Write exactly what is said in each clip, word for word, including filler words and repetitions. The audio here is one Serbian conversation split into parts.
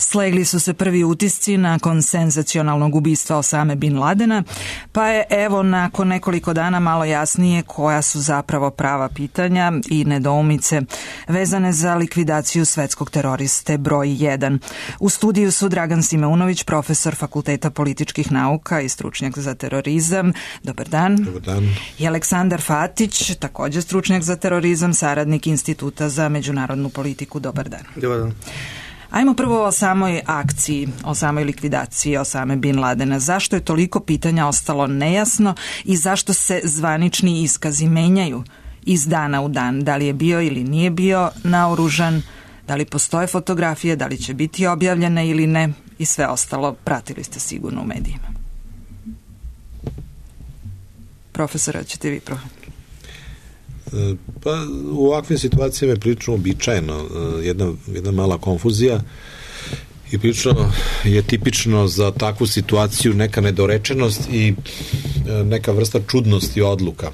Slegli su se prvi utisci nakon senzacionalnog ubistva Osame bin Ladena, pa je evo nakon nekoliko dana malo jasnije koja su zapravo prava pitanja i nedoumice vezane za likvidaciju svetskog teroriste broj jedan. U studiju su Dragan Simeunović, profesor Fakulteta političkih nauka i stručnjak za terorizam. Dobar dan. Dobar dan. I Aleksandar Fatić, također stručnjak za terorizam, saradnik Instituta za međunarodnu politiku. Dobar dan. Dobar dan. Ajmo prvo o samoj akciji, o samoj likvidaciji Osame bin Ladena. Zašto je toliko pitanja ostalo nejasno i zašto se zvanični iskazi menjaju iz dana u dan? Da li je bio ili nije bio naoružan, da li postoje fotografije, da li će biti objavljene ili ne i sve ostalo pratili ste sigurno u medijima. Profesora, ćete vi prvo? Pa u ovakvim situacijama je prilično običajno, jedna, jedna mala konfuzija i prilično je tipično za takvu situaciju neka nedorečenost i neka vrsta čudnosti odluka.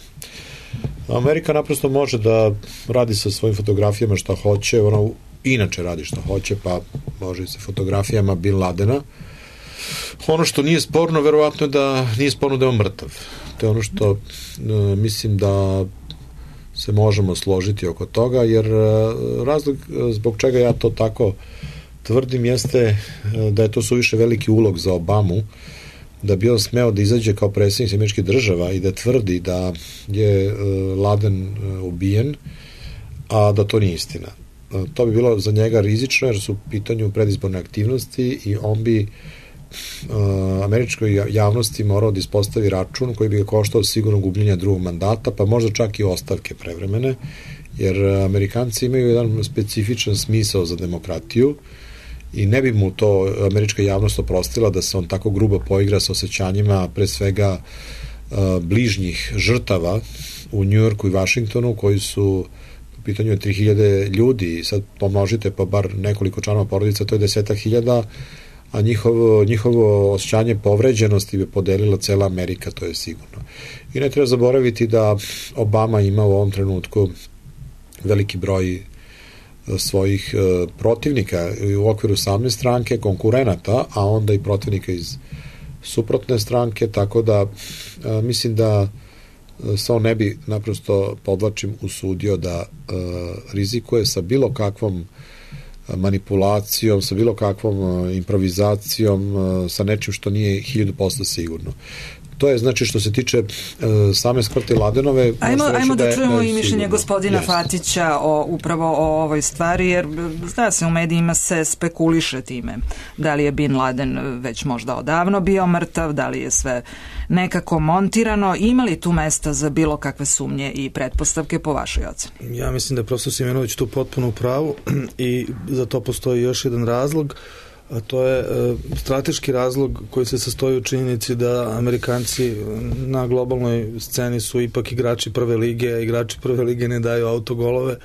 Amerika naprosto može da radi sa svojim fotografijama šta hoće, ona inače radi šta hoće, pa može i sa fotografijama bin Ladena. Ono što nije sporno, verovatno je da nije sporno da je on mrtav. To je ono što uh, mislim da se možemo složiti oko toga, jer uh, razlog zbog čega ja to tako tvrdim jeste uh, da je to suviše veliki ulog za Obamu, da bi on smeo da izađe kao predsjednik američkih država i da tvrdi da je uh, Laden uh, ubijen, a da to nije istina. Uh, to bi bilo za njega rizično, jer su u pitanju predizborne aktivnosti i on bi Uh, američkoj javnosti morao da ispostavi račun koji bi ga koštao sigurno gubljenja drugog mandata, pa možda čak i ostavke prevremene, jer Amerikanci imaju jedan specifičan smisao za demokratiju i ne bi mu to američka javnost oprostila da se on tako grubo poigra sa osjećanjima pre svega uh, bližnjih žrtava u Njujorku i Vašingtonu, koji su u pitanju je tri hiljade ljudi i sad pomnožite pa bar nekoliko članova porodica, to je desetak hiljada, a njihovo, njihovo osjećanje povređenosti bi podelila cela Amerika, to je sigurno. I ne treba zaboraviti da Obama ima u ovom trenutku veliki broj svojih protivnika u okviru same stranke, konkurenata, a onda i protivnika iz suprotne stranke, tako da mislim da se on ne bi naprosto, podvlačim, usudio da rizikuje sa bilo kakvom manipulacijom, sa bilo kakvom improvizacijom, sa nečim što nije hiljadu posto sigurno. To je znači što se tiče uh, same smrti Ladenove. Ajmo, ajmo da, da čujemo je, i mišljenje sigurno gospodina Jest. Fatića o, upravo o ovoj stvari, jer zna se u medijima se spekuliše time da li je bin Laden već možda odavno bio mrtav, da li je sve nekako montirano. Ima li tu mesta za bilo kakve sumnje i pretpostavke po vašoj oceni? Ja mislim da je profesor Simeunović tu potpuno u pravu i za to postoji još jedan razlog, a to je e, strateški razlog koji se sastoji u činjenici da Amerikanci na globalnoj sceni su ipak igrači prve lige, a igrači prve lige ne daju autogolove,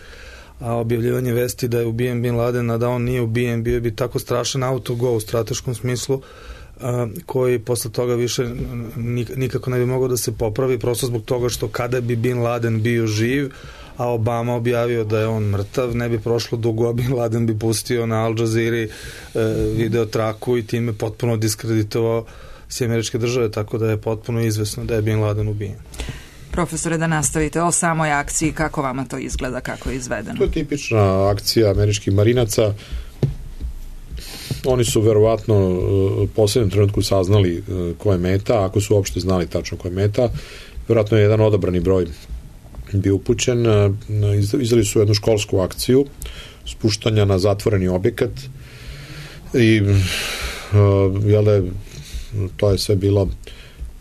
a objavljivanje vesti da je ubijen bin Laden, a da on nije ubijen, bio bi tako strašan autogol u strateškom smislu, a, koji posle toga više nikako ne bi mogao da se popravi, prosto zbog toga što kada bi bin Laden bio živ, a Obama objavio da je on mrtav, ne bi prošlo dugo, a bin Laden bi pustio na Al Jazeera e, video traku i time potpuno diskreditovao sve američke države, tako da je potpuno izvesno da je bin Laden ubijen. Profesore, da nastavite o samoj akciji, kako vama to izgleda, kako je izvedeno? To je tipična akcija američkih marinaca. Oni su verovatno u poslednjem trenutku saznali ko je meta, ako su uopšte znali tačno ko je meta. Verovatno je jedan odabrani broj bio upućen. Izdali su jednu školsku akciju spuštanja na zatvoreni objekat i jel da to je sve bilo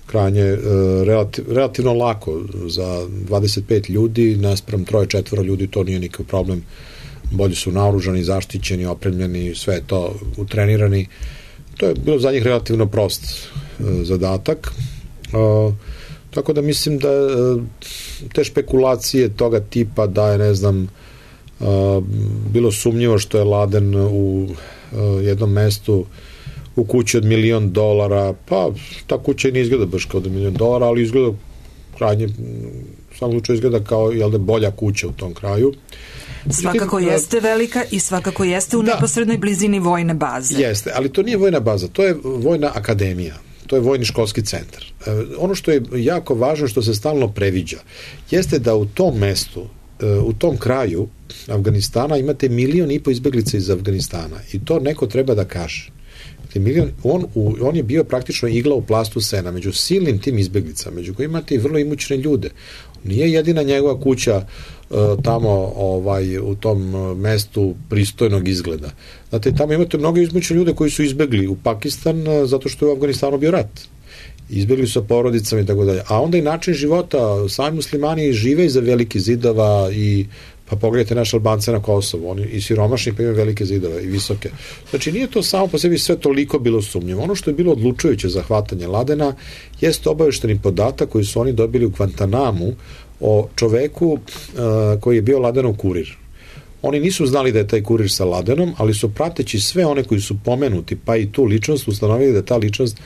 krajnje relativ, relativno lako za dvadeset pet ljudi naspram troje četvoro ljudi, to nije nikakav problem. Bolje su naoružani, zaštićeni, opremljeni, sve je to utrenirani. To je bilo za njih relativno prost zadatak. Tako da mislim da te špekulacije toga tipa da je, ne znam, bilo sumnjivo što je Laden u jednom mestu u kući od milion dolara, pa ta kuća ne izgleda baš kao da milion dolara, ali izgleda krajnje, u svakom slučaju izgleda kao, jel da, bolja kuća u tom kraju. svakako jeste velika i svakako jeste u da. neposrednoj blizini vojne baze. Jeste, ali to nije vojna baza, to je vojna akademija. To je vojni školski centar. E, ono što je jako važno, što se stalno previđa, jeste da u tom mestu, e, u tom kraju Afganistana imate milion i po izbeglica iz Afganistana i to neko treba da kaže. Milion, on, u, on je bio praktično igla u plastu sena među silnim tim izbeglicama, među kojima imate i vrlo imućne ljude. Nije jedina njegova kuća e, tamo ovaj, u tom mestu pristojnog izgleda. Znate, tamo imate mnogo imućne ljude koji su izbegli u Pakistan e, zato što je u Afganistanu bio rat. Izbegli su sa porodicama i tako dalje. A onda i način života, sami muslimani žive iza velikih zidova i pa pogledajte naše Albance na Kosovu, oni i siromašni pa imaju velike zidove i visoke. Znači nije to samo po sebi sve toliko bilo sumnjivo. Ono što je bilo odlučujuće za hvatanje Ladena jeste obavešteni podatak koji su oni dobili u Guantanamu o čoveku uh, koji je bio Ladenov kurir. Oni nisu znali da je taj kurir sa Ladenom, ali su prateći sve one koji su pomenuti, pa i tu ličnost, ustanovili da ta ličnost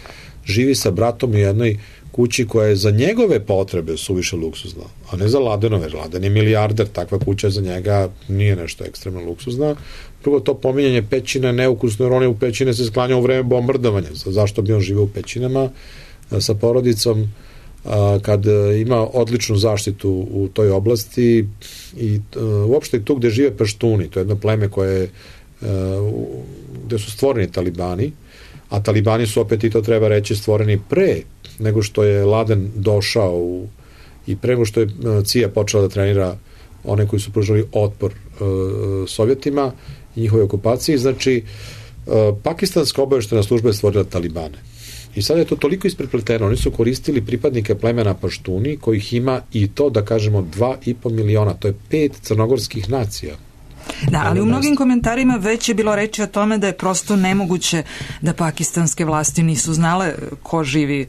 živi sa bratom u jednoj kući koja je za njegove potrebe suviše luksuzna, a ne za Ladenove. Laden je milijarder, takva kuća za njega nije nešto ekstremno luksuzna. Drugo, to pominjanje pećina je neukusno, jer on je u pećine se sklanjao u vreme bombardovanja. Zašto bi on živio u pećinama sa porodicom kad ima odličnu zaštitu u toj oblasti i uopšte tu gde žive Paštuni, to je jedno pleme koje gde su stvoreni talibani, a talibani su opet, i to treba reći, stvoreni pre nego što je Laden došao u, i pre nego što je C I A počela da trenira one koji su pružali otpor uh, Sovjetima i njihove okupaciji. Znači, uh, pakistanska obaveštena služba je stvorila talibane. I sad je to toliko isprepleteno. Oni su koristili pripadnike plemena Paštuni, kojih ima i to, da kažemo, dva i po miliona. To je pet crnogorskih nacija. Da, ali u mnogim komentarima već je bilo reći o tome da je prosto nemoguće da pakistanske vlasti nisu znale ko živi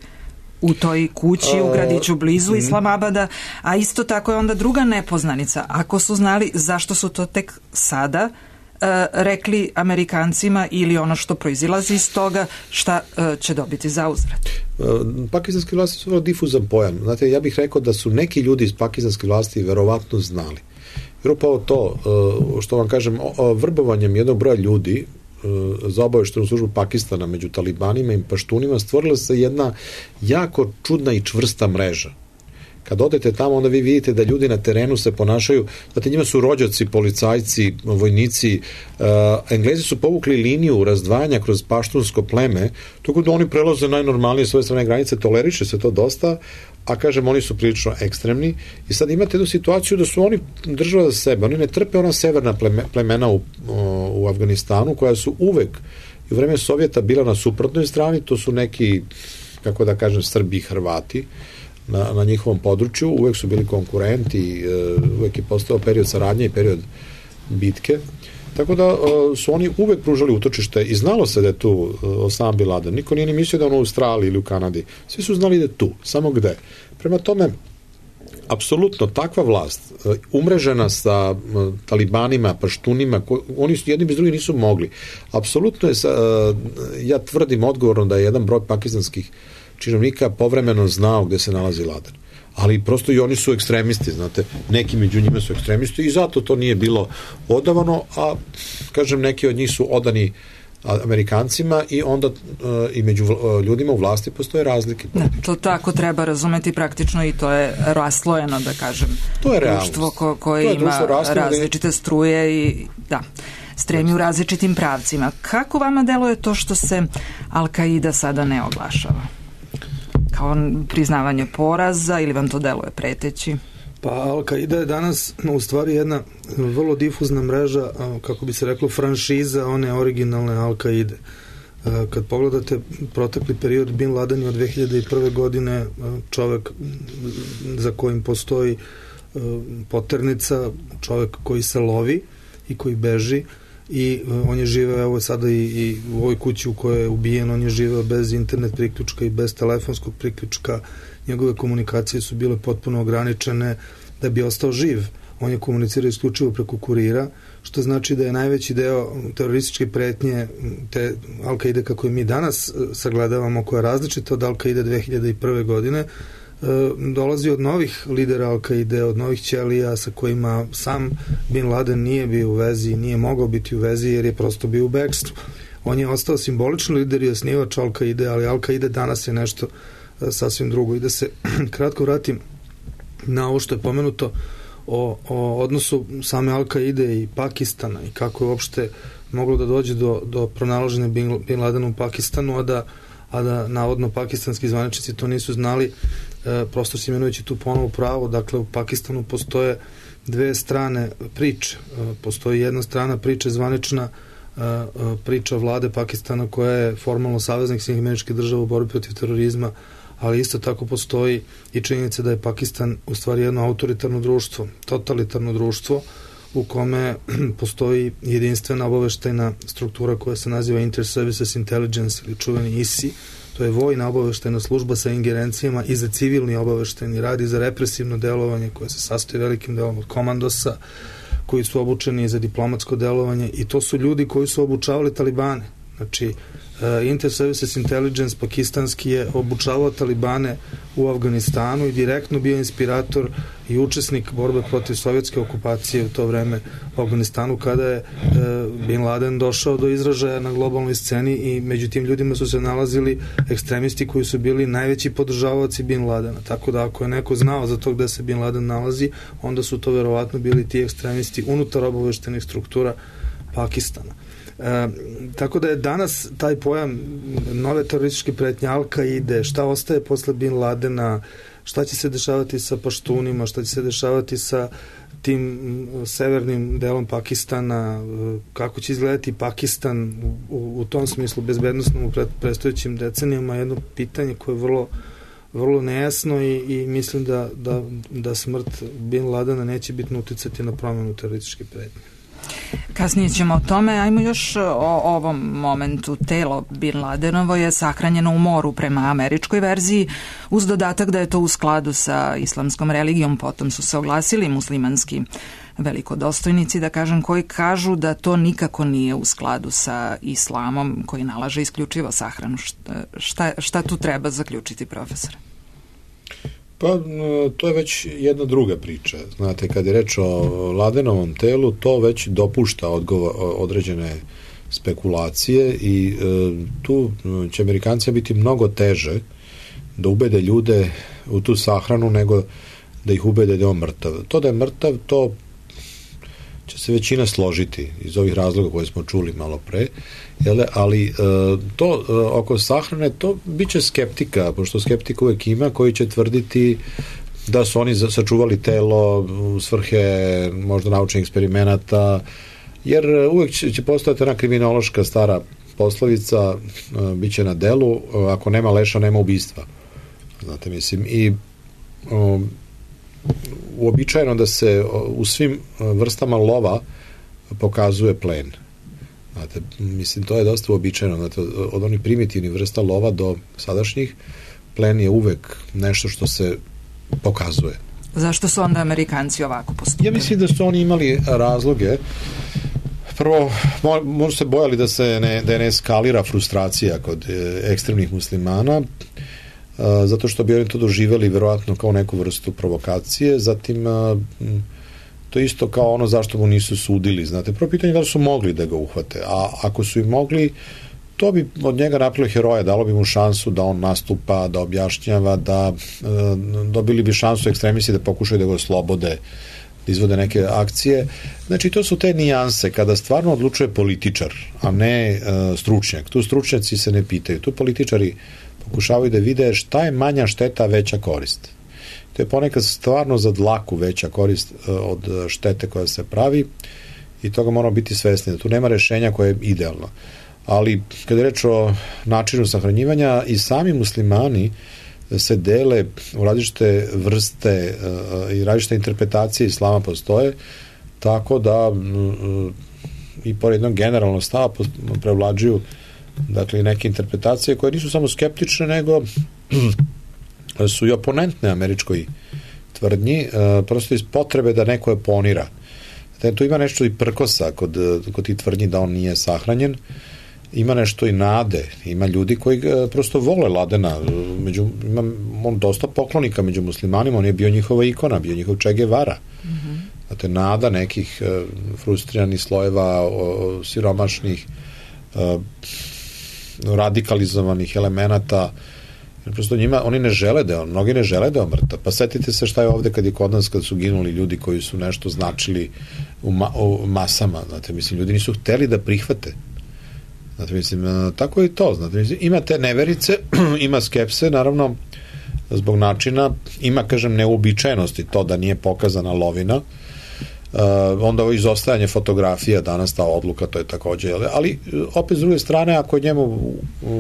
u toj kući, u gradiću blizu Islamabada, a isto tako je onda druga nepoznanica. Ako su znali, zašto su to tek sada uh, rekli Amerikancima ili ono što proizilazi iz toga, šta uh, će dobiti za uzvrat? Pakistanske vlasti su vrlo difuzan pojam. Znate, ja bih rekao da su neki ljudi iz pakistanske vlasti verovatno znali. Jer upravo to, što vam kažem, vrbovanjem jednog broja ljudi za obaveštenu službu Pakistana među talibanima i paštunima stvorila se jedna jako čudna i čvrsta mreža. Kad odete tamo, onda vi vidite da ljudi na terenu se ponašaju, znate, njima su rođaci, policajci, vojnici, uh, Englezi su povukli liniju razdvajanja kroz paštunsko pleme, tako da oni prelaze najnormalnije svoje strane granice, toleriše se to dosta, a kažem, oni su prilično ekstremni i sad imate jednu situaciju da su oni država za sebe, oni ne trpe ona severna pleme, plemena u, u Afganistanu, koja su uvek i u vreme Sovjeta bila na suprotnoj strani, to su neki, kako da kažem, Srbi i Hrvati, Na, na njihovom području, uvek su bili konkurenti, uvek je postao period saradnje i period bitke, tako da su oni uvek pružali utočište i znalo se da je tu Osama Bin Laden. Niko nije ni mislio da je on u Australiji ili u Kanadi. Svi su znali da je tu, samo gde. Prema tome, apsolutno takva vlast, umrežena sa talibanima, paštunima, oni su jedni bez drugih nisu mogli. Apsolutno je, ja tvrdim odgovorno da je jedan broj pakistanskih činovnika povremeno znao gde se nalazi Laden. Ali prosto i oni su ekstremisti, znate, neki među njima su ekstremisti i zato to nije bilo odavano, a kažem, neki od njih su odani Amerikancima i onda uh, i među uh, ljudima u vlasti postoje razlike. Da, to tako treba razumeti praktično i to je raslojeno, da kažem, to je društvo ko, koje je ima različite struje i da, stremi u različitim pravcima. Kako vama deluje to što se Al-Kaida sada ne oglašava? Kao priznavanje poraza ili vam to deluje preteći? Pa Al-Kaida je danas u stvari jedna vrlo difuzna mreža, kako bi se reklo, franšiza one originalne Al-Kaide. Kad pogledate protekli period, Bin Laden je od dve hiljade prve. godine čovek za kojim postoji poternica, čovek koji se lovi i koji beži, i on je živeo, evo sada i, i u ovoj kući u kojoj je ubijen, on je živeo bez internet priključka i bez telefonskog priključka, njegove komunikacije su bile potpuno ograničene da bi ostao živ. On je komunicirao isključivo preko kurira, što znači da je najveći deo terorističke pretnje te Al-Kaide kako je mi danas sagledavamo, koja je različita od Al-Kaide dve hiljade prve. godine, dolazi od novih lidera Al-Kaide, od novih ćelija sa kojima sam Bin Laden nije bio u vezi, nije mogao biti u vezi jer je prosto bio u bekstvu. On je ostao simbolični lider i osnivač Al-Kaide, ali Al-Kaide danas je nešto sasvim drugo. I da se kratko vratim na ovo što je pomenuto o, o odnosu same Al-Kaide i Pakistana i kako je uopšte moglo da dođe do, do pronalaženja Bin, Bin Ladena u Pakistanu, a da, a da navodno pakistanski zvaničnici to nisu znali, e, prosto se imenujući tu ponovo pravo. Dakle, u Pakistanu postoje dve strane priče. E, postoji jedna strana priče zvanična, e, priča vlade Pakistana koja je formalno saveznik Sjedinjenih Američkih Država u borbi protiv terorizma, ali isto tako postoji i činjenica da je Pakistan u stvari jedno autoritarno društvo, totalitarno društvo u kome postoji jedinstvena obaveštajna struktura koja se naziva Inter-Services Intelligence ili čuveni I S I. To je vojna obaveštajna služba sa ingerencijama i za civilni obaveštajni rad i za represivno delovanje koje se sastoji velikim delom od komandosa koji su obučeni za diplomatsko delovanje i to su ljudi koji su obučavali Talibane. Znači, Inter-Services Intelligence pakistanski je obučavao Talibane u Afganistanu i direktno bio inspirator i učesnik borbe protiv sovjetske okupacije u to vreme u Afganistanu kada je Bin Laden došao do izražaja na globalnoj sceni i među tim ljudima su se nalazili ekstremisti koji su bili najveći podržavaoci Bin Ladena. Tako da ako je neko znao za to gde se Bin Laden nalazi, onda su to verovatno bili ti ekstremisti unutar obaveštenih struktura Pakistana. E, tako da je danas taj pojam nove terorističke pretnje Al-Kaide, šta ostaje posle Bin Ladena, šta će se dešavati sa paštunima, šta će se dešavati sa tim severnim delom Pakistana, kako će izgledati Pakistan u, u tom smislu bezbednostnom u predstojećim decenijama, jedno pitanje koje je vrlo, vrlo nejasno i, i mislim da, da, da smrt Bin Ladena neće bitno uticati na promenu terorističke pretnje. Kasnije ćemo o tome. Ajmo još o ovom momentu. Telo Bin Ladenovo je sahranjeno u moru prema američkoj verziji, uz dodatak da je to u skladu sa islamskom religijom. Potom su se oglasili muslimanski velikodostojnici, da kažem, koji kažu da to nikako nije u skladu sa islamom koji nalaže isključivo sahranu. Šta, šta tu treba zaključiti, profesor? Pa, to je već jedna druga priča. Znate, kad je reč o Ladenovom telu, to već dopušta odgovor, određene spekulacije i e, tu će Amerikanci biti mnogo teže da ubede ljude u tu sahranu nego da ih ubede da je on mrtav. To da je mrtav, to će se većina složiti iz ovih razloga koje smo čuli malo pre, jele, ali e, to e, oko sahrane, to bit će skeptika, pošto skeptika uvek ima koji će tvrditi da su oni sačuvali telo u svrhe možda naučnih eksperimenata, jer uvek će, će postojati ona kriminološka stara poslovica, e, bit će na delu, ako nema leša, nema ubistva. Znate, mislim, i o, uobičajeno da se u svim vrstama lova pokazuje plen. Znate, mislim, to je dosta uobičajeno. Znate, od onih primitivnih vrsta lova do sadašnjih, plen je uvek nešto što se pokazuje. Zašto su onda Amerikanci ovako postupili? Ja mislim da su oni imali razloge. Prvo, možda se bojali da se ne, da ne eskalira frustracija kod ekstremnih muslimana, zato što bi oni to doživjeli verovatno kao neku vrstu provokacije. Zatim, to je isto kao ono zašto mu nisu sudili. Znate, prvo pitanje je da li su mogli da ga uhvate, a ako su i mogli, to bi od njega napravilo heroja, dalo bi mu šansu da on nastupa, da objašnjava, da dobili bi šansu ekstremisti da pokušaju da ga oslobode, da izvode neke akcije. Znači, to su te nijanse kada stvarno odlučuje političar, a ne stručnjak. Tu stručnjaci se ne pitaju. Tu političari pokušavaju da vide šta je manja šteta, veća korist. To je ponekad stvarno za dlaku veća korist od štete koja se pravi i toga moramo biti svesni. Tu nema rešenja koje je idealno. Ali kada je reč o načinu sahranjivanja, i sami muslimani se dele u različite vrste i različite interpretacije islama postoje, tako da i pored jednog generalnog stava prevlađuju, dakle, neke interpretacije koje nisu samo skeptične, nego su i oponentne američkoj tvrdnji, prosto iz potrebe da neko oponira. Tu ima nešto i prkosa kod, kod tih tvrdnji da on nije sahranjen, ima nešto i nade, ima ljudi koji prosto vole Ladena, među, ima on dosta poklonika među muslimanima, on je bio njihova ikona, bio njihov Che Guevara. Mm-hmm. Znate, nada nekih uh, frustriranih slojeva, uh, siromašnih, uh, radikalizovanih elemenata, prosto njima, oni ne žele da on, mnogi ne žele da on mrtav. Pa setite se šta je ovde kad je kod nas, kad su ginuli ljudi koji su nešto značili u, ma, u masama, znate, mislim, ljudi nisu hteli da prihvate. Znate, mislim, tako je i to, znate, mislim, ima te neverice, ima skepse, naravno, zbog načina, ima, kažem, neuobičajenosti to da nije pokazana lovina, uh, onda ovo izostajanje fotografija, danas ta odluka, to je takođe, ali opet s druge strane, ako je njemu,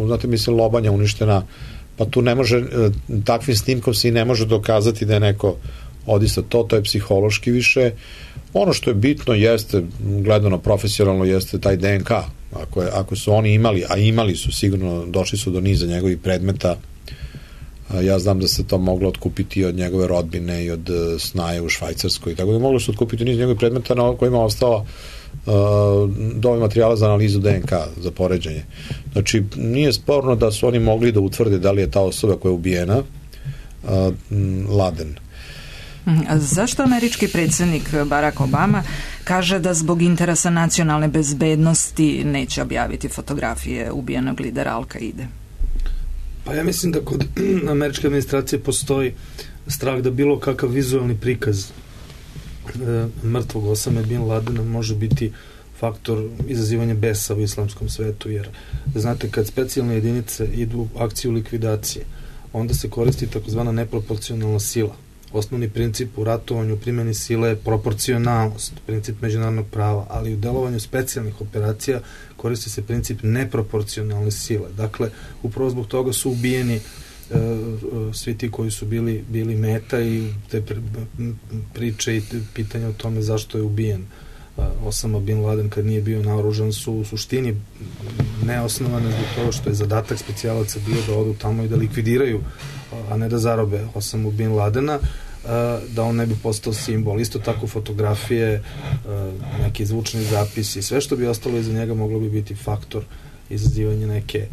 znate, mislim, lobanja uništena, pa tu ne može, takvim snimkom se i ne može dokazati da je neko odista to, to je psihološki više. Ono što je bitno jeste, gledano profesionalno, jeste taj D N K. Ako, je, ako su oni imali, a imali su sigurno, došli su do niza njegovih predmeta, ja znam da se to moglo otkupiti od njegove rodbine i od snaje u Švajcarskoj, tako da moglo se otkupiti niz njegovih predmeta na kojima je ostala Uh, dovoljno materijala za analizu D N K, za poređenje. Znači, nije sporno da su oni mogli da utvrde da li je ta osoba koja je ubijena uh, Laden. A zašto američki predsjednik Barack Obama kaže da zbog interesa nacionalne bezbednosti neće objaviti fotografije ubijenog lidera Al-Kaide? Pa ja mislim da kod američke administracije postoji strah da bilo kakav vizualni prikaz mrtvog Osame bin Ladena može biti faktor izazivanja besa u islamskom svetu, jer znate, kad specijalne jedinice idu u akciju likvidacije, onda se koristi takozvana neproporcionalna sila. Osnovni princip u ratovanju, primjeni sile je proporcionalnost, princip međunarodnog prava, ali u delovanju specijalnih operacija koristi se princip neproporcionalne sile. Dakle, upravo zbog toga su ubijeni svi ti koji su bili, bili meta i te priče i pitanja o tome zašto je ubijen Osama bin Laden kad nije bio naoružan su u suštini neosnovane zbog toga što je zadatak specijalaca bio da odu tamo i da likvidiraju, a ne da zarobe Osamu bin Ladena, da on ne bi postao simbol. Isto tako fotografije, neki zvučni zapisi, sve što bi ostalo iza njega moglo bi biti faktor izazivanja neke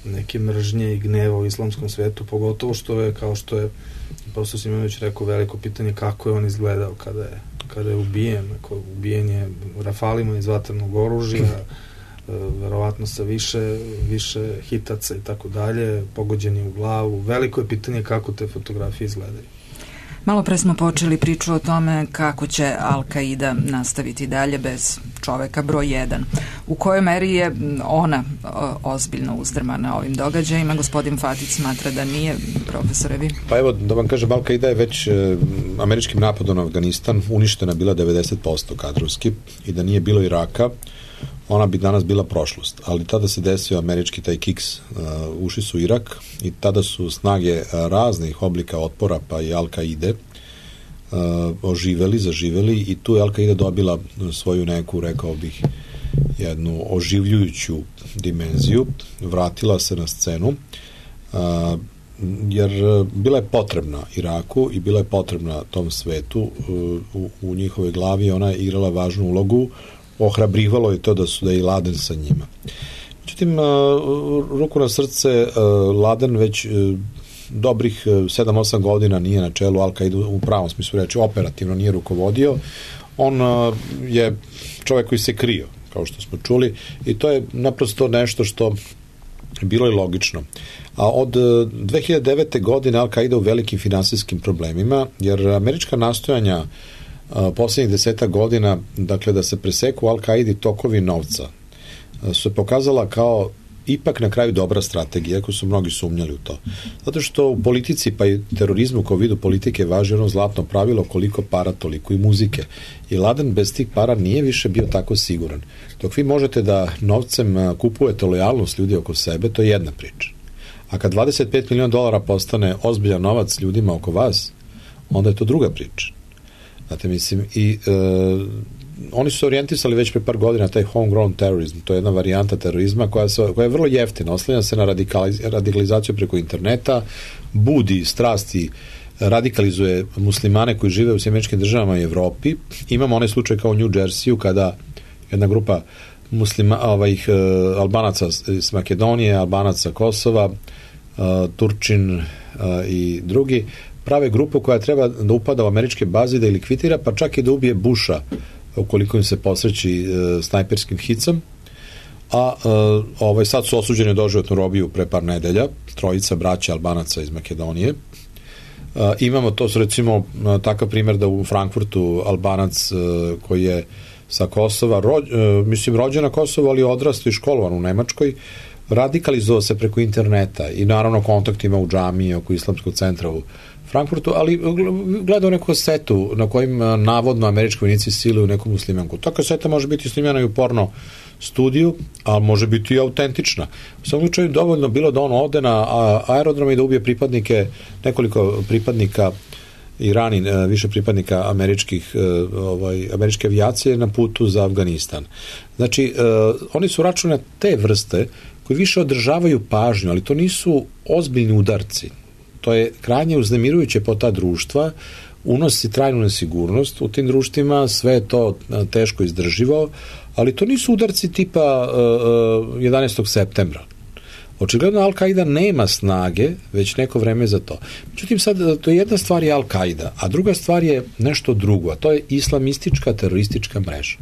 neke mržnje i gneva u islamskom svetu, pogotovo što je, kao što je profesor Simonović rekao, veliko pitanje kako je on izgledao kada je, kada je ubijen. Ako ubijen je rafalima iz vatrenog oružja, verovatno sa više, više hitaca i tako dalje, pogođeni u glavu. Veliko je pitanje kako te fotografije izgledaju. Malo pre smo počeli priču o tome kako će Al-Kaida nastaviti dalje bez čoveka broj jedan. U kojoj meri je ona ozbiljno uzdrmana ovim događajima? Gospodin Fatić smatra da nije, profesore, vi? Pa evo, da vam kažem, Al-Kaida je već e, američkim napadom na Afganistan uništena bila devedeset posto kadrovski i da nije bilo Iraka, ona bi danas bila prošlost. Ali tada se desio američki taj kiks, uh, ušli su u Irak i tada su snage raznih oblika otpora, pa i Al-Kaide, uh, oživeli, zaživeli i tu je Al-Kaida dobila svoju neku, rekao bih, jednu oživljujuću dimenziju, vratila se na scenu, uh, jer bila je potrebna Iraku i bila je potrebna tom svetu, uh, u, u njihovoj glavi ona je igrala važnu ulogu, ohrabrivalo je to da su da je i Laden sa njima. Međutim, ruku na srce, Laden već dobrih sedam osam godina nije na čelu Al-Kaide u pravom smislu reči, operativno nije rukovodio. On je čovjek koji se krio, kao što smo čuli, i to je naprosto nešto što bilo je logično. A od dve hiljade devete. godine Al-Kaida u velikim finansijskim problemima, jer američka nastojanja posljednjih deseta godina, dakle, da se preseku Al-Kaidi tokovi novca, su se pokazala kao ipak na kraju dobra strategija, ako su mnogi sumnjali u to. Zato što u politici, pa i terorizmu kao vidu politike važi ono zlatno pravilo koliko para, toliko i muzike. I Laden bez tih para nije više bio tako siguran. Dok vi možete da novcem kupujete lojalnost ljudi oko sebe, to je jedna priča. A kad dvadeset pet miliona dolara postane ozbiljan novac ljudima oko vas, onda je to druga priča. Znate, mislim, i e, oni su se orijentisali već pre par godina taj homegrown terrorizm, to je jedna varijanta terorizma koja, se, koja je vrlo jeftina, oslanja se na radikaliz, radikalizaciju preko interneta, budi strasti, radikalizuje muslimane koji žive u Sjedinjenim Američkim Državama i Evropi. Imamo onaj slučaj kao u New Jerseyu kada jedna grupa muslima, ovih uh, Albanaca iz Makedonije, Albanaca Kosova, uh, Turčin uh, i drugi, prave grupu koja treba da upada u američke baze, da ih likvidira, pa čak i da ubije Busha ukoliko im se posreći uh, snajperskim hicom. A uh, ovaj, sad su osuđeni doživotnu robiju pre par nedelja, trojica braća Albanaca iz Makedonije. Uh, imamo to, recimo, uh, takav primjer da u Frankfurtu Albanac uh, koji je sa Kosova, ro, uh, mislim rođen na Kosovu, ali odrastao i školovan u Nemačkoj, radikalizovao se preko interneta i naravno kontakt ima u džamiji oko islamskog centra u Frankfurtu, ali gledao neku kasetu na kojim uh, navodno američki vojnici siluju neku muslimanku. Ta kaseta može biti snimljena i u porno studiju, ali može biti i autentična. U svakom slučaju dovoljno bilo da on ode na aerodrom i da ubije pripadnike, nekoliko pripadnika i rani više pripadnika američkih, ovaj, američke avijacije na putu za Afganistan. Znači, oni su račune te vrste koji više održavaju pažnju, ali to nisu ozbiljni udarci. To je krajnje uznemirujuće po ta društva, unosi trajnu nesigurnost u tim društvima, sve je to teško izdrživo, ali to nisu udarci tipa uh, jedanaestog septembra. Očigledno Al-Qaida nema snage već neko vreme za to. Međutim, sad, to je jedna stvar je Al-Qaida, a druga stvar je nešto drugo, a to je islamistička teroristička mreža.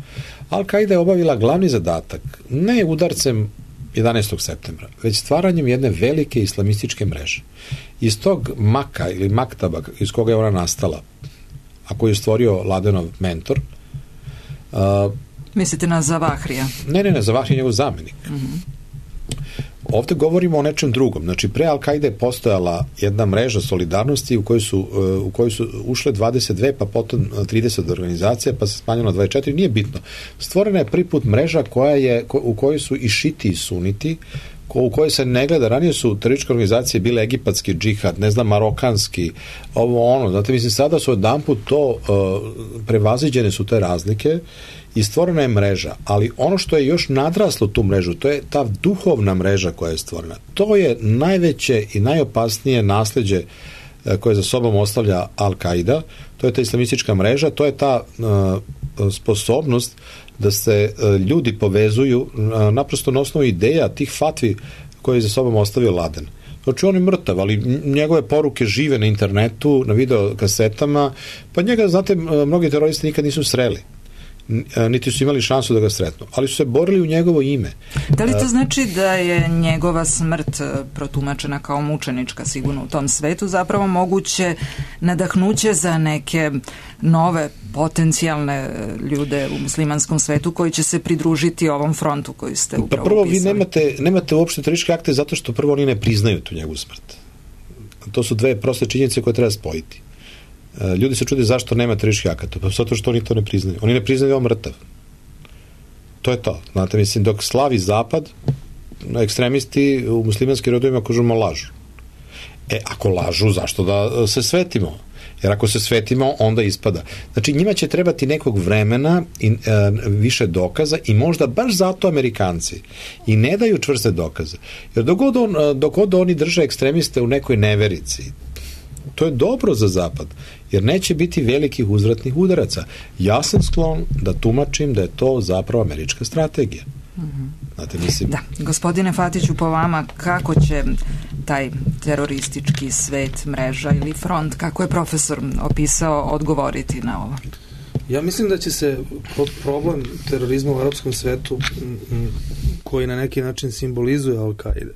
Al-Qaida je obavila glavni zadatak, ne udarcem jedanaestog septembra, već stvaranjem jedne velike islamističke mreže. Iz tog maka ili maktaba iz koga je ona nastala, a koji je stvorio Ladenov mentor, uh, mislite na Zavahrija? Ne, ne, ne, Zavahrija je njegov zamenik. Mm-hmm. Ovde govorimo o nečem drugom. Znači, pre Al-Qaide je postojala jedna mreža solidarnosti u kojoj su, u kojoj su ušle dvadeset dve, pa potom trideset organizacija, pa se smanjilo na dvadeset četiri, nije bitno. Stvorena je prvi put mreža koja je, u kojoj su i šiti i suniti, ko, u kojoj se ne gleda. Ranije su terorističke organizacije bile egipatski džihad, ne znam, marokanski, ovo ono. Znate, mislim, sada su jedanput to, uh, prevaziđene su te razlike i stvorena je mreža, ali ono što je još nadraslo tu mrežu, to je ta duhovna mreža koja je stvorena. To je najveće i najopasnije nasleđe koje za sobom ostavlja Al-Qaida, to je ta islamistička mreža, to je ta uh, sposobnost da se uh, ljudi povezuju uh, naprosto na osnovu ideja tih fatvi koje je za sobom ostavio Laden. Znači, on je mrtav, ali njegove poruke žive na internetu, na video kasetama, pa njega, znate, mnogi teroristi nikad nisu sreli, niti su imali šansu da ga sretnu, ali su se borili u njegovo ime. Da li to znači da je njegova smrt protumačena kao mučenička sigurno u tom svetu zapravo moguće nadahnuće za neke nove potencijalne ljude u muslimanskom svetu koji će se pridružiti ovom frontu koji ste upravo pa prvo upisali? Vi nemate, nemate uopšte terorističke akte zato što prvo oni ne priznaju tu njegovu smrt. To su dve proste činjenice koje treba spojiti. Ljudi se čude zašto nema terorističkih akata, pa zato što oni to ne priznaju. Oni ne priznaju da je on mrtav. To je to. Znate, mislim, dok slavi zapad, ekstremisti u muslimanskim rodovima kažemo lažu. E, ako lažu, zašto da se svetimo? Jer ako se svetimo, onda ispada. Znači, njima će trebati nekog vremena i e, više dokaza i možda baš zato Amerikanci i ne daju čvrste dokaze. Jer dok god, on, dok god oni drže ekstremiste u nekoj neverici, to je dobro za zapad, jer neće biti velikih uzvratnih udaraca. Ja sam sklon da tumačim da je to zapravo američka strategija. Mm-hmm. Znate, mislim... Da, gospodine Fatiću, po vama, kako će taj teroristički svet, mreža ili front, kako je profesor opisao, odgovoriti na ovo? Ja mislim da će se problem terorizma u arapskom svetu, koji na neki način simbolizuje Al-Qaida,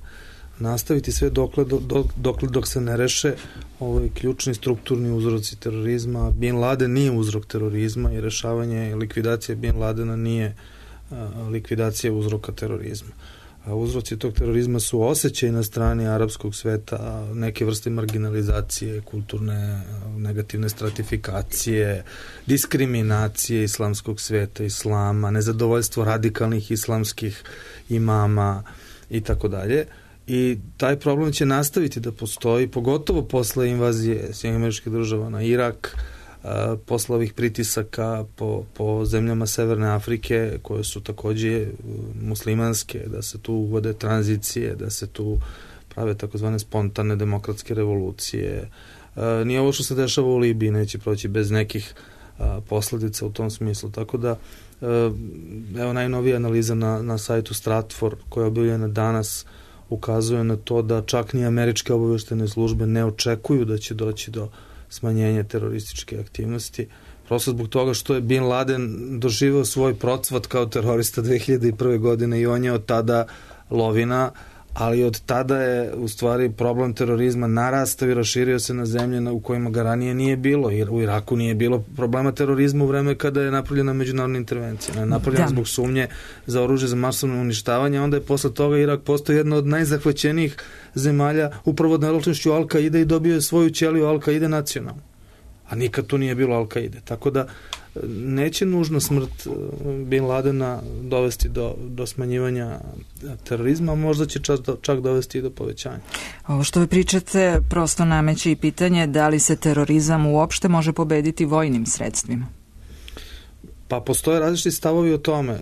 nastaviti sve dokle, do, dokle dok se ne reše ovaj ključni strukturni uzroci terorizma. Bin Laden nije uzrok terorizma i rešavanje i likvidacija Bin Ladena nije a, likvidacija uzroka terorizma. A uzroci tog terorizma su osjećaj na strani arapskog sveta, neke vrste marginalizacije, kulturne, negativne stratifikacije, diskriminacije islamskog sveta, islama, nezadovoljstvo radikalnih islamskih imama i tako dalje. I taj problem će nastaviti da postoji, pogotovo posle invazije Sjedinjenih Američkih Država na Irak, a, posle ovih pritisaka po, po zemljama Severne Afrike, koje su takođe muslimanske, da se tu uvode tranzicije, da se tu prave takozvane spontane demokratske revolucije. A, nije ovo što se dešava u Libiji, neće proći bez nekih a, posledica u tom smislu. Tako da, a, evo najnovija analiza na, na sajtu Stratfor koja je objavljena danas ukazuje na to da čak ni američke obavještajne službe ne očekuju da će doći do smanjenja terorističke aktivnosti. Prosto zbog toga što je Bin Laden doživeo svoj procvat kao terorista dve hiljade prve. godine i on je od tada lovina, ali od tada je u stvari problem terorizma narastao i raširio se na zemlje u kojima ga ranije nije bilo, jer u Iraku nije bilo problema terorizma u vreme kada je napravljena međunarodna intervencija. Ne, napravljena zbog sumnje za oružje za masovno uništavanje, onda je posle toga Irak postao jedna od najzahvaćenijih zemalja upravo naločnošću Al-Kaide i dobio je svoju ćeliju Al-Kaide nacionalnu. A nikad tu nije bilo Al-Kaide. Tako da neće nužno smrt Bin Ladena dovesti do, do smanjivanja terorizma, a možda će čak, čak dovesti i do povećanja. Ovo što vi pričate prosto nameće i pitanje da li se terorizam uopšte može pobediti vojnim sredstvima? Pa postoje različiti stavovi o tome.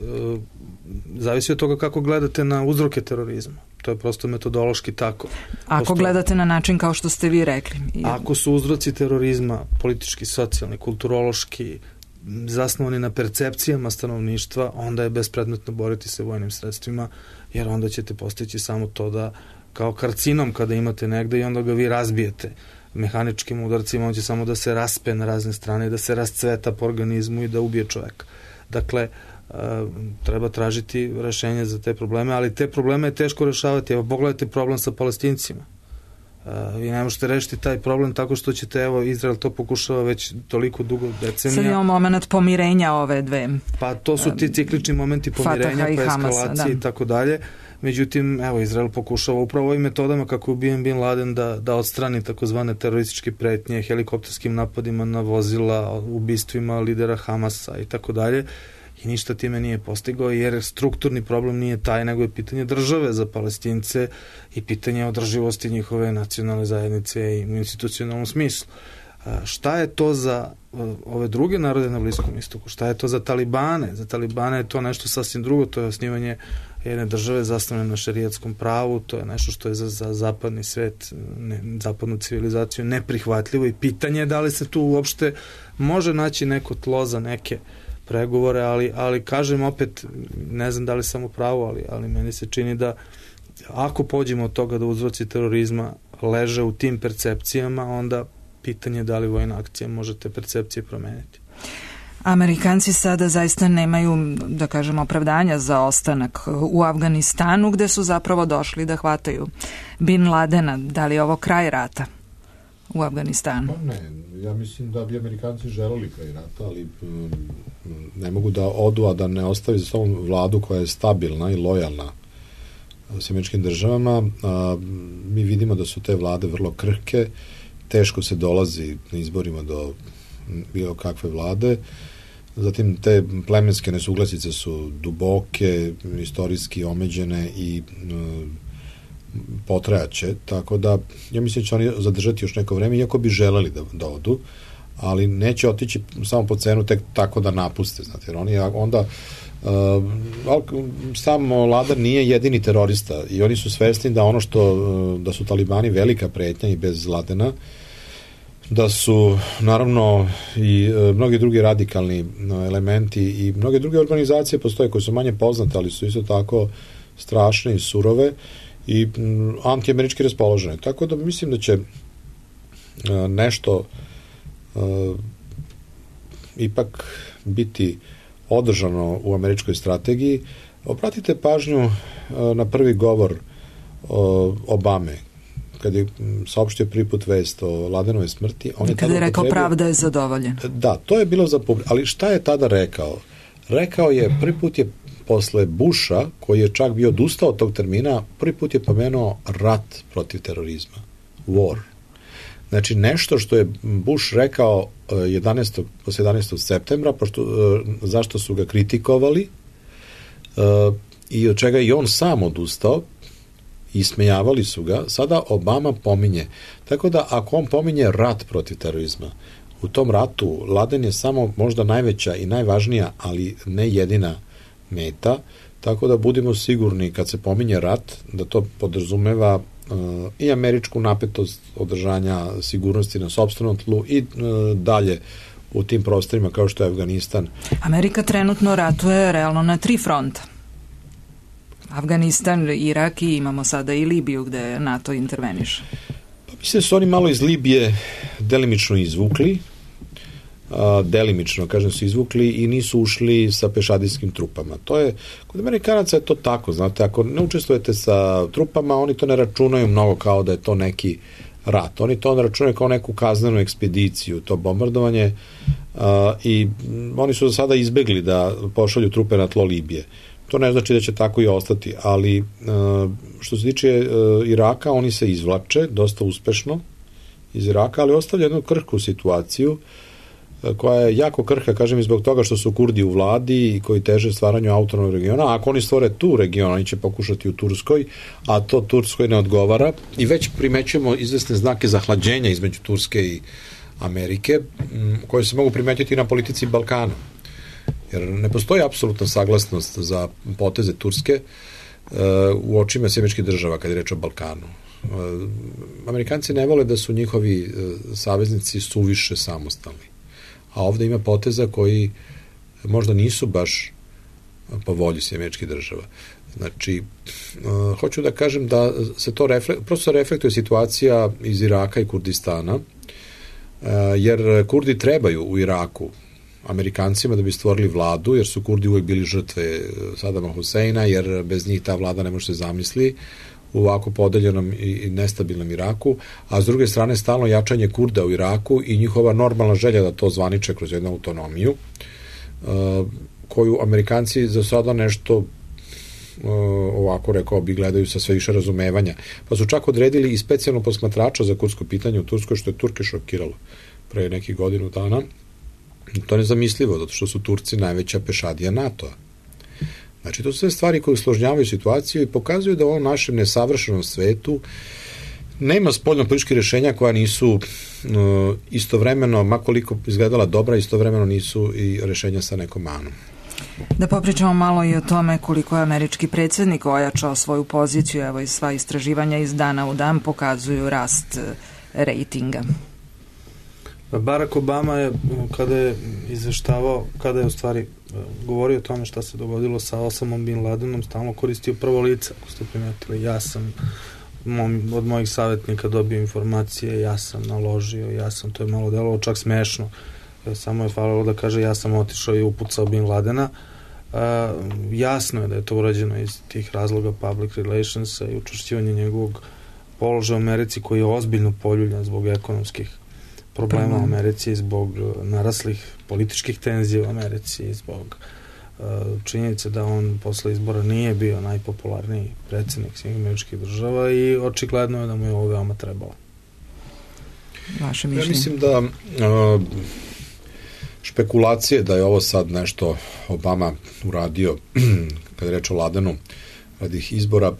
Zavisi od toga kako gledate na uzroke terorizma. To je prosto metodološki tako. Ako Postoje... gledate na način kao što ste vi rekli. Ako su uzroci terorizma politički, socijalni, kulturološki, zasnovani na percepcijama stanovništva, onda je bespredmetno boriti se vojnim sredstvima, jer onda ćete postići samo to da kao karcinom kada imate negde i onda ga vi razbijete mehaničkim udarcima, on će samo da se raspe na razne strane i da se rascveta po organizmu i da ubije čoveka. Dakle, treba tražiti rešenje za te probleme, ali te probleme je teško rešavati. Evo, pogledajte problem sa Palestincima. Vi ne možete rešiti taj problem tako što ćete, evo, Izrael to pokušava već toliko dugo decenija. Sad imamo moment pomirenja ove dve. Pa to su ti ciklični momenti pomirenja, pa eskalacije i tako dalje. Međutim, evo, Izrael pokušava upravo ovim metodama kako je ubijen Bin Laden da, da odstrani takozvane terorističke pretnje, helikopterskim napadima na vozila, ubistvima lidera Hamasa i tako dalje. I ništa time nije postigao, jer strukturni problem nije taj, nego je pitanje države za Palestince i pitanje održivosti njihove nacionalne zajednice i u institucionalnom smislu. Šta je to za ove druge narode na Bliskom istoku? Šta je to za Talibane? Za Talibane je to nešto sasvim drugo, to je osnivanje jedne države zasnovane na šerijatskom pravu, to je nešto što je za, za zapadni svet, ne, zapadnu civilizaciju neprihvatljivo i pitanje je da li se tu uopšte može naći neko tlo za neke pregovore, ali, ali kažem opet, ne znam da li sam u pravu, ali, ali meni se čini da ako pođemo od toga da uzroci terorizma leže u tim percepcijama, onda pitanje je da li vojna akcija može te percepcije promeniti. Amerikanci sada zaista nemaju, da kažem, opravdanja za ostanak u Afganistanu, gde su zapravo došli da hvataju Bin Ladena. Da li je ovo kraj rata u Afganistanu? Pa ne, ja mislim da bi Amerikanci želeli kraj rata, ali um, ne mogu da odu, a da ne ostavi za sobom vladu koja je stabilna i lojalna s američkim državama. A, mi vidimo da su te vlade vrlo krhke, teško se dolazi na izborima do bilo kakve vlade. Zatim te plemenske nesuglasice su duboke, istorijski omeđene i um, potrajaće, tako da ja mislim da će oni zadržati još neko vreme, iako bi želeli da, da odu, ali neće otići samo po cenu tek tako da napuste, znate, jer oni onda uh, samo Laden nije jedini terorista i oni su svesni da ono što, uh, da su Talibani velika pretnja i bez Ladena, da su naravno i uh, mnogi drugi radikalni uh, elementi i mnoge druge organizacije postoje koje su manje poznate, ali su isto tako strašne i surove i m, antiamerički raspoložene. Tako da mislim da će uh, nešto uh, ipak biti održano u američkoj strategiji. Obratite pažnju uh, na prvi govor uh, Obame, kad je saopštio prvi put vest o Ladenove smrti. On je kada je rekao potrebio... pravda je zadovoljen. Da, to je bilo za publiku. Ali šta je tada rekao? Rekao je, prvi put je posle Busha, koji je čak bio odustao od tog termina, prvi put je pomenuo rat protiv terorizma. War. Znači, nešto što je Bush rekao jedanaestog posle jedanaestog septembra, pošto, zašto su ga kritikovali i od čega i on sam odustao, i smejavali su ga, sada Obama pominje. Tako da, ako on pominje rat protiv terorizma, u tom ratu Laden je samo možda najveća i najvažnija, ali ne jedina meta, tako da budemo sigurni kad se pominje rat, da to podrazumeva uh, i američku napetost održanja sigurnosti na sopstvenom tlu i uh, dalje u tim prostorima kao što je Afganistan. Amerika trenutno ratuje realno na tri fronta. Afganistan, Irak i imamo sada i Libiju gde NATO interveniše. Pa mislim da su oni malo iz Libije delimično izvukli, a, delimično, kažem, su izvukli i nisu ušli sa pešadijskim trupama. To je, kod Amerikanaca je to tako, znate, ako ne učestvujete sa trupama, oni to ne računaju mnogo kao da je to neki rat. Oni to računaju kao neku kaznenu ekspediciju, to bombardovanje, a, i oni su za sada izbegli da pošalju trupe na tlo Libije. To ne znači da će tako i ostati, ali što se tiče Iraka, oni se izvlače dosta uspešno iz Iraka, ali ostavlja jednu krhku situaciju koja je jako krhka, kažem, i zbog toga što su Kurdi u vladi i koji teže stvaranju autonomnog regiona. A ako oni stvore tu region, oni će pokušati u Turskoj, a to Turskoj ne odgovara i već primećujemo izvesne znake zahlađenja između Turske i Amerike, koje se mogu primetiti na politici Balkana. Jer ne postoji apsolutna saglasnost za poteze Turske uh, u očima Američkih država kad je reč o Balkanu. Uh, Amerikanci ne vole da su njihovi uh, saveznici suviše samostalni. A ovde ima poteza koji možda nisu baš po volji Američkih država. Znači, uh, hoću da kažem da se to refle- prosto reflektuje situacija iz Iraka i Kurdistana, uh, jer Kurdi trebaju u Iraku Amerikancima da bi stvorili vladu, jer su Kurdi uvek bili žrtve Sadama Huseina, jer bez njih ta vlada ne može se zamisli u ovako podeljenom i nestabilnom Iraku, a s druge strane stalno jačanje Kurda u Iraku i njihova normalna želja da to zvaniče kroz jednu autonomiju, koju Amerikanci za sada nešto ovako, rekao bi, gledaju sa sve više razumevanja. Pa su čak odredili i specijalno posmatrača za kurdsko pitanje u Turskoj, što je Turke šokiralo pre nekih godinu dana. To je nezamislivo, zato što su Turci najveća pešadija NATO-a. Znači, to su sve stvari koje usložnjavaju situaciju i pokazuju da u ovom našem nesavršenom svetu nema spoljno-političkih rešenja koja nisu uh, istovremeno, makoliko izgledala dobra, istovremeno nisu i rešenja sa nekom manom. Da popričamo malo i o tome koliko je američki predsjednik ojačao svoju poziciju, evo i sva istraživanja iz dana u dan pokazuju rast rejtinga. Barack Obama je, kada je izveštavao, kada je u stvari govorio o tome šta se dogodilo sa Osamom Bin Ladenom, stalno koristio prvo lice, ako ste primetili. Ja sam mom, od mojih savjetnika dobio informacije, ja sam naložio, ja sam, to je malo delovalo čak smešno. Samo je falilo da kaže ja sam otišao i upucao Bin Ladena. Uh, jasno je da je to urađeno iz tih razloga public relationsa i učvršćivanja njegovog položaja u Americi, koji je ozbiljno poljuljan zbog ekonomskih problema u Americi, zbog naraslih političkih tenzija u Americi, zbog uh, činjenice da on posle izbora nije bio najpopularniji predsjednik svih američkih država i očigledno je da mu je ovo veoma trebalo. Vaše mišljenje? Ja mislim da uh, špekulacije da je ovo sad nešto Obama uradio kada je reč o Ladenu radi izbora uh,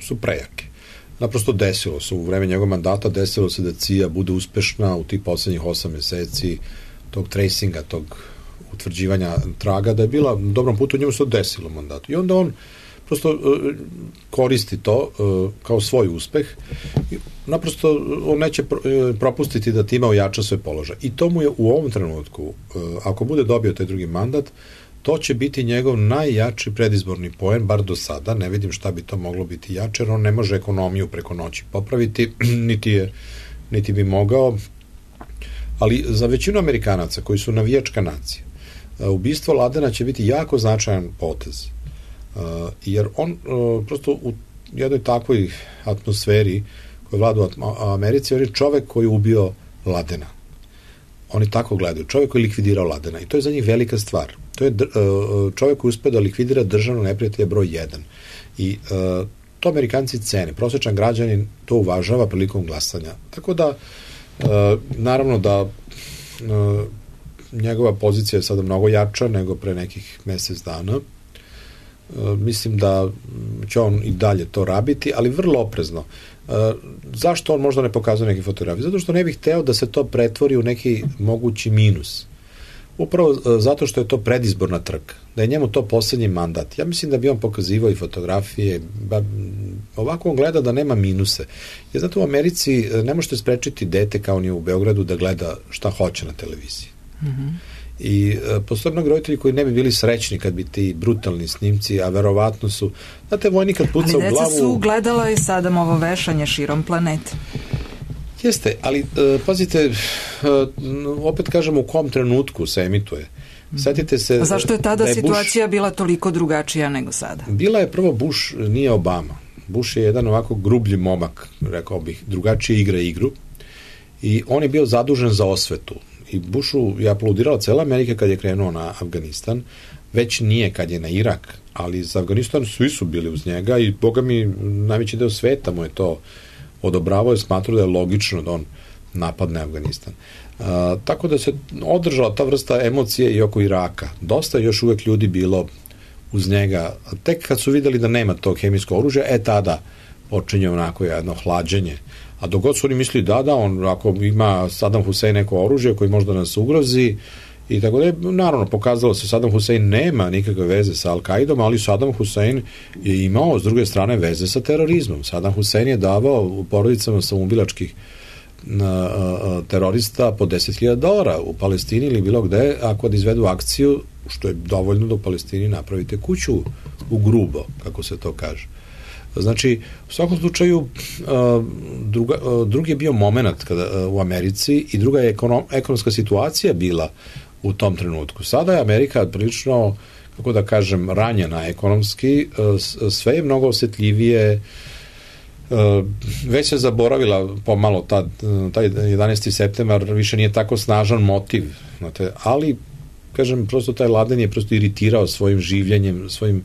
su prejake. Naprosto desilo se, u vreme njegovog mandata desilo se da C I A bude uspešna u tih poslednjih osam meseci tog tracinga, tog utvrđivanja traga, da je bila na dobrom putu, njemu se to desilo u mandatu. I onda on prosto uh, koristi to uh, kao svoj uspeh. Naprosto on neće pro, uh, propustiti da time ojača svoj položaj. I to mu je u ovom trenutku, uh, ako bude dobio taj drugi mandat, to će biti njegov najjači predizborni poen, bar do sada. Ne vidim šta bi to moglo biti jače, jer on ne može ekonomiju preko noći popraviti, niti, je, niti bi mogao. Ali za većinu Amerikanaca koji su navijačka nacija, ubistvo Ladena će biti jako značajan potez. Jer on prosto u jednoj takvoj atmosferi koja vlada u Americi, on je čovek koji je ubio Ladena. Oni tako gledaju. Čovek koji je likvidirao Ladena. I to je za njih velika stvar. To je čovjek koji uspio da likvidira državno neprijatelje broj jedan. I uh, to Amerikanci cene. Prosječan građanin to uvažava prilikom glasanja. Tako da, uh, naravno da uh, njegova pozicija je sada mnogo jača nego pre nekih mesec dana. Uh, mislim da će on i dalje to rabiti, ali vrlo oprezno. Uh, zašto on možda ne pokazuje neke fotografije? Zato što ne bih hteo da se to pretvori u neki mogući minus. Upravo zato što je to predizborna trka, da je njemu to poslednji mandat. Ja mislim da bi on pokazivao i fotografije, ba, ovako on gleda da nema minuse. Jer zato u Americi ne možete sprečiti dete kao ni u Beogradu da gleda šta hoće na televiziji. Mm-hmm. I e, postoje mnogi roditelji koji ne bi bili srećni kad bi ti brutalni snimci, a verovatno su, znate, vojnik kad puca u glavu... Ali deca su gledala i Sadamovo vešanje širom planete. Jeste, ali e, pazite, e, opet kažem u kom trenutku se emituje. Setite se... A zašto je tada da je situacija Bush, bila toliko drugačija nego sada? Bila je prvo Bush, nije Obama. Bush je jedan ovako grublji momak, rekao bih, drugačije igra igru i on je bio zadužen za osvetu. I Bushu je aplaudirala cela Amerika kad je krenuo na Afganistan, već nije kad je na Irak, ali za Afganistan svi su bili uz njega i boga mi najveći deo sveta mu je to odobravao i smatrao da je logično da on napadne Afganistan. Uh, tako da se održala ta vrsta emocije i oko Iraka. Dosta je još uvek ljudi bilo uz njega. Tek kad su videli da nema tog hemijskog oružja, e tada počinje onako jedno hlađenje. A dok god su oni misli da, da, on ako ima Saddam Hussein neko oružje koji možda nas ugrozi i tako da je, naravno, pokazalo se Saddam Hussein nema nikakve veze sa Al-Qaidom, ali Saddam Hussein je imao s druge strane veze sa terorizmom. Saddam Hussein je davao u porodicama samoubilačkih terorista po deset hiljada dolara u Palestini ili bilo gde, ako da izvedu akciju, što je dovoljno da u Palestini napravite kuću u grubo, kako se to kaže. Znači, u svakom slučaju, druga, drugi je bio moment kada, u Americi i druga je ekonom, ekonomska situacija bila u tom trenutku. Sada je Amerika prilično, kako da kažem, ranjena ekonomski, sve je mnogo osjetljivije, već se zaboravila pomalo ta, taj jedanaesti septembar više nije tako snažan motiv, znate, ali kažem, prosto taj Laden je prosto iritirao svojim življenjem, svojim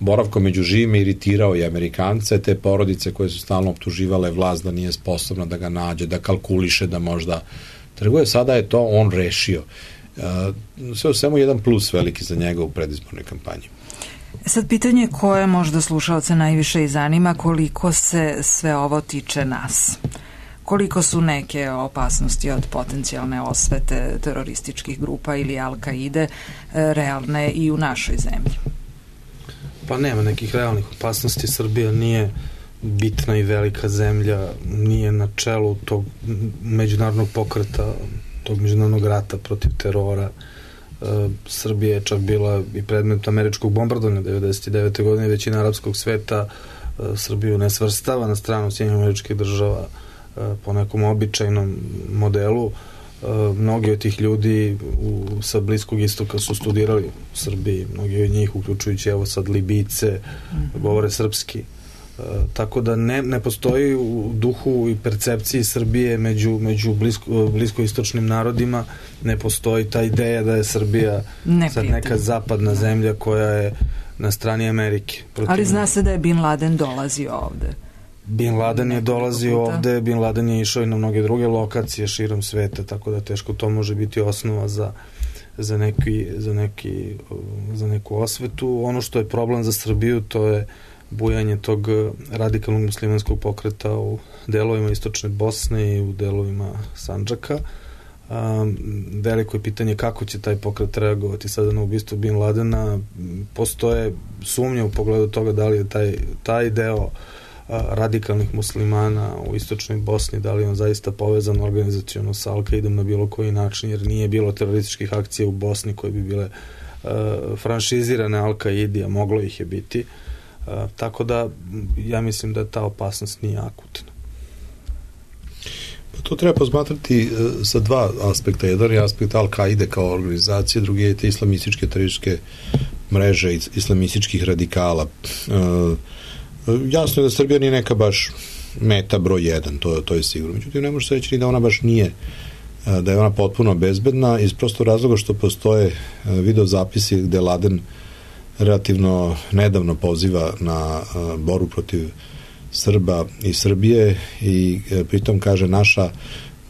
boravkom među živima, iritirao i Amerikance, te porodice koje su stalno optuživale vlast da nije sposobna da ga nađe, da kalkuliše, da možda trguje. Sada je to on rešio. Sve u svemu jedan plus veliki za njega u predizbornoj kampanji. Sad pitanje koje možda slušalce najviše i zanima, koliko se sve ovo tiče nas. Koliko su neke opasnosti od potencijalne osvete terorističkih grupa ili Al-Kaide realne i u našoj zemlji? Pa nema nekih realnih opasnosti. Srbija nije bitna i velika zemlja, nije na čelu tog međunarodnog pokreta, tog međunarodnog rata protiv terora. E, Srbija je čak bila i predmet američkog bombardovanja devedeset devete godine, većina arapskog sveta e, Srbiju ne svrstava na stranu Sjedinjenih Američkih Država e, po nekom običajnom modelu. E, mnogi od tih ljudi u, sa Bliskog istoka su studirali u Srbiji, mnogi od njih, uključujući evo sad Libijce, mm-hmm. govore srpski. E, tako da ne, ne postoji u duhu i percepciji Srbije među, među blisko, bliskoistočnim narodima, ne postoji ta ideja da je Srbija sad neka zapadna zemlja koja je na strani Amerike. Protiv... Ali zna se da je Bin Laden dolazio ovde. Bin Laden je dolazio ovde, Bin Laden je išao i na mnoge druge lokacije širom sveta, tako da teško to može biti osnova za, za, neki, za, neki, za neku osvetu. Ono što je problem za Srbiju, to je bujanje tog radikalnog muslimanskog pokreta u delovima istočne Bosne i u delovima Sandžaka. Um, veliko je pitanje kako će taj pokret reagovati sada na ubistvo Bin Ladena. Postoje sumnje u pogledu toga da li je taj, taj deo uh, radikalnih muslimana u istočnoj Bosni, da li on zaista povezan organizaciono sa Al-Qaidom na bilo koji način, jer nije bilo terorističkih akcija u Bosni koje bi bile uh, franšizirane Al-Qaidi, a moglo ih je biti. Uh, tako da ja mislim da ta opasnost nije akutna. Pa to treba posmatrati uh, sa dva aspekta. Jedan je aspekt Al-Qaide kao organizacije, drugi je te islamističke terorističke mreže islamističkih radikala. Uh, jasno je da Srbija nije neka baš meta broj jedan, to, to je sigurno. Međutim, ne može se reći ni da ona baš nije, uh, da je ona potpuno bezbedna, iz prosto razloga što postoje uh, video zapisi gde Laden relativno nedavno poziva na uh, boru protiv Srba i Srbije i uh, pritom kaže naša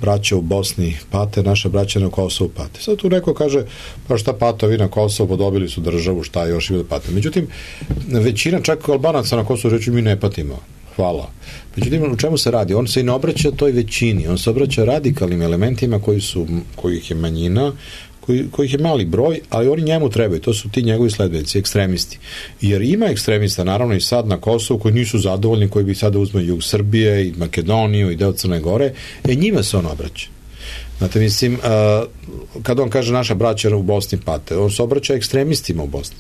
braća u Bosni pate, naša braća na Kosovu pate. Sad tu neko kaže, pa šta pate, vi na Kosovu podobili su državu, šta još ima da pate. Međutim, većina čak Albanaca na Kosovu reći mi ne patimo. Hvala. Međutim, u čemu se radi? On se i ne obraća toj većini, on se obraća radikalnim elementima koji su, kojih je manjina, koji, kojih je mali broj, ali oni njemu trebaju, to su ti njegovi sledbenici, ekstremisti. Jer ima ekstremista, naravno i sad na Kosovu, koji nisu zadovoljni, koji bi sada uzme jug Srbije i Makedoniju i deo Crne Gore, e njima se on obraća. Znate, mislim, kada on kaže naša braća u Bosni pate, on se obraća ekstremistima u Bosni,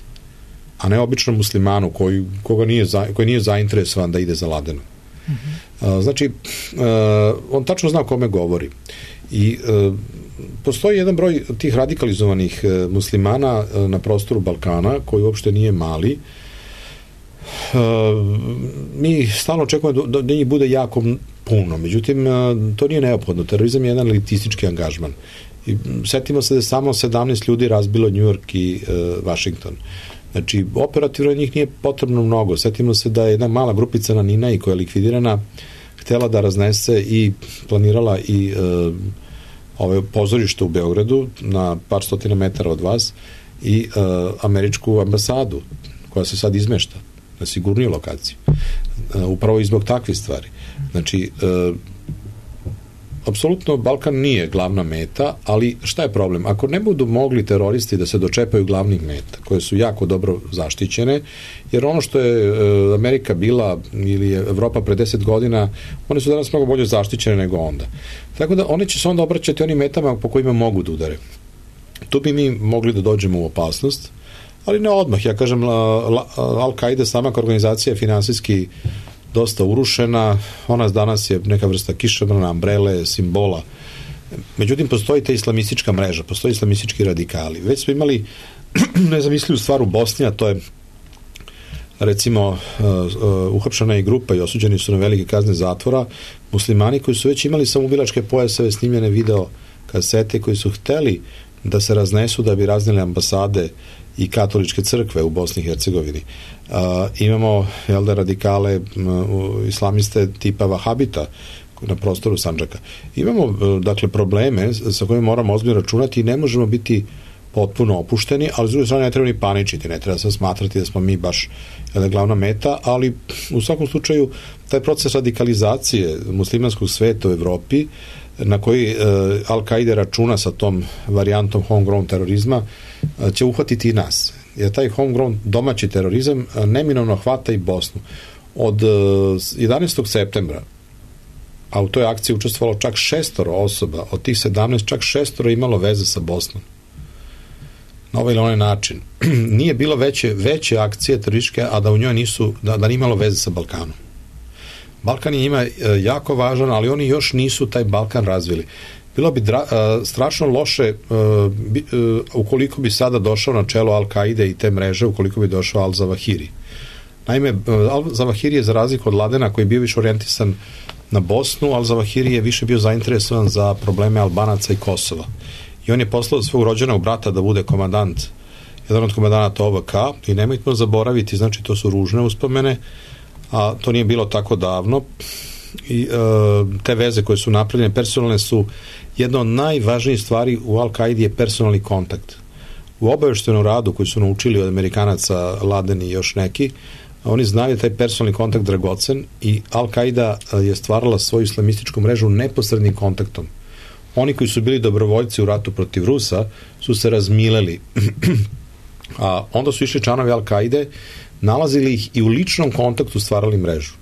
a ne običnom muslimanu koji, koga nije, za, koji nije zainteresovan da ide za Ladenom. Mm-hmm. Znači, on tačno zna o kome govori. I postoji jedan broj tih radikalizovanih muslimana na prostoru Balkana, koji uopšte nije mali. Mi stalno očekujemo da, da njih bude jako puno, međutim, to nije neophodno. Terorizam je jedan elitistički angažman. I setimo se da je samo sedamnaest ljudi razbilo New York i uh, Washington. Znači, operativno njih nije potrebno mnogo. Setimo se da je jedna mala grupica na Ninaji koja je likvidirana htjela da raznese i planirala i uh, ove pozorište u Beogradu na par stotina metara od vas i uh, američku ambasadu koja se sad izmešta na sigurniju lokaciju. Uh, upravo i zbog takvih stvari. Znači, uh, apsolutno Balkan nije glavna meta, ali šta je problem? Ako ne budu mogli teroristi da se dočepaju glavnih meta, koje su jako dobro zaštićene, jer ono što je uh, Amerika bila ili je Evropa pre deset godina, one su danas mnogo bolje zaštićene nego onda. Tako da oni će se onda obraćati onim metama po kojima mogu da udare. Tu bi mi mogli da dođemo u opasnost, ali ne odmah. Ja kažem, Al-Qaida sama kao organizacija je finansijski dosta urušena, ona danas je neka vrsta kišobrana, ambrele, simbola. Međutim, postoji ta islamistička mreža, postoji islamistički radikali. Već smo imali nezamislivu stvar u Bosni, a to je recimo uh, uh, uhapšena je grupa i osuđeni su na velike kazne zatvora muslimani koji su već imali samoubilačke pojaseve, snimljene video kasete, koji su hteli da se raznesu da bi raznili ambasade i katoličke crkve u Bosni i Hercegovini. Uh, imamo jel da, radikale uh, islamiste tipa Vahabita na prostoru Sandžaka. Imamo uh, dakle probleme sa kojima moramo ozbiljno računati i ne možemo biti potpuno opušteni, ali s druge strane ne treba ni paničiti, ne treba se smatrati da smo mi baš jedna glavna meta, ali u svakom slučaju taj proces radikalizacije muslimanskog sveta u Evropi na koji uh, Al-Qaida računa sa tom varijantom homegrown terorizma uh, će uhvatiti i nas. Jer taj homegrown domaći terorizam uh, neminovno hvata i Bosnu. Od uh, jedanaestog septembra, a u toj akciji učestvovalo čak šestoro osoba, od tih sedamnaest čak šestoro imalo veze sa Bosnom. Na ovaj ili onaj način. Nije bilo veće, veće akcije terorističke, a da u njoj nisu, da, da nije imalo veze sa Balkanom. Balkan je njima jako važan, ali oni još nisu taj Balkan razvili. Bilo bi dra, uh, strašno loše uh, bi, uh, ukoliko bi sada došao na čelo Al-Qaide i te mreže, ukoliko bi došao Al-Zawahiri. Naime, uh, Al-Zawahiri je za razliku od Ladena koji je bio više orijentisan na Bosnu, Al-Zawahiri je više bio zainteresovan za probleme Albanaca i Kosova. I on je poslao svog rođenog brata da bude komandant, jedan od komandanata O V K, i nemojte zaboraviti, znači to su ružne uspomene, a to nije bilo tako davno, i e, te veze koje su napravljene personalne su jedna od najvažnijih stvari u Al-Qaidi je personalni kontakt. U obaveštenom radu koji su naučili od Amerikanaca, Laden i još neki, oni znaju taj personalni kontakt dragocen i Al-Qaida je stvarala svoju islamističku mrežu neposrednim kontaktom. Oni koji su bili dobrovoljci u ratu protiv Rusa su se razmileli, a onda su išli članovi Al-Qaide, nalazili ih i u ličnom kontaktu stvarali mrežu.